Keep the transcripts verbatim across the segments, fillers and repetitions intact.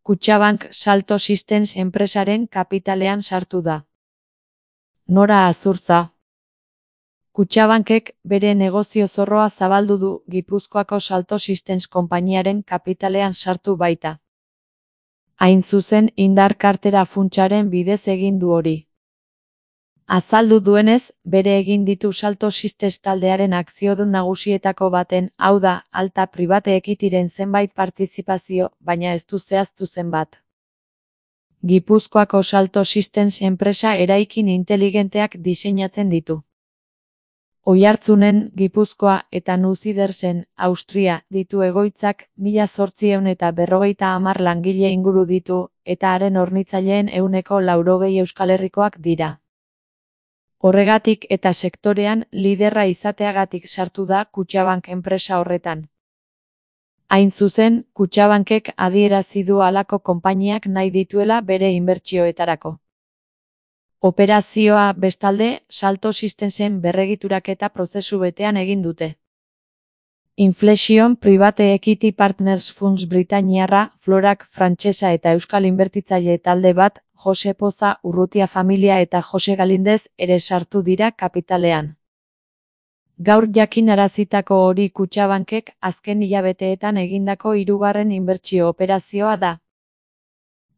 Kutxabank Salto Systems enpresaren kapitalean sartu da. Nora Azurtza. Kutxabankek bere negozio zorroa zabaldu du Gipuzkoako Salto Systems konpainiaren kapitalean sartu baita. Hain zuzen indar kartera funtsaren bidez egin du hori. Azaldu duenez, bere egin ditu Salto Systems taldearen akziodun nagusietako baten, hau da, Alta Private Equityren zenbait partizipazio, baina ez du zehaztu zenbat. Gipuzkoako Salto Systems enpresa eraikin inteligenteak diseinatzen ditu. Oiartzunen, Gipuzkoa eta Nusidersen, Austria, ditu egoitzak, mila zortziehun eta berrogeita hamar langile inguru ditu, eta haren hornitzaileen ehuneko laurogei Euskal Herrikoak dira. Horregatik eta sektorean liderra izateagatik sartu da Kutxabank enpresa horretan. Hain zuzen, Kutxabankek adierazi du halako konpainiak nahi dituela bere inbertsioetarako. Operazioa, bestalde, Salto Systemsen berregituraketa prozesu betean egin dute. Inflexion Private Equity Partners Funds Britainiarra, Florak frantsesa eta euskal inbertitzaile talde bat, Jose Poza, Urrutia familia eta Jose Galindez ere sartu dira kapitalean. Gaur jakinarazitako hori Kutxabankek azken hilabeteetan egindako hirugarren inbertsio operazioa da.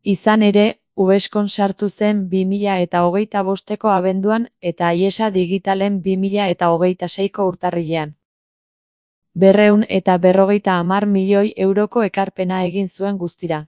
Izan ere, Uveskon sartu zen bi mila eta hogeita bosteko abenduan eta Aiesa Digitalen bi mila eta hogeita seiko urtarrilean. Berrehun eta berrogeita hamar milioi euroko ekarpena egin zuen guztira.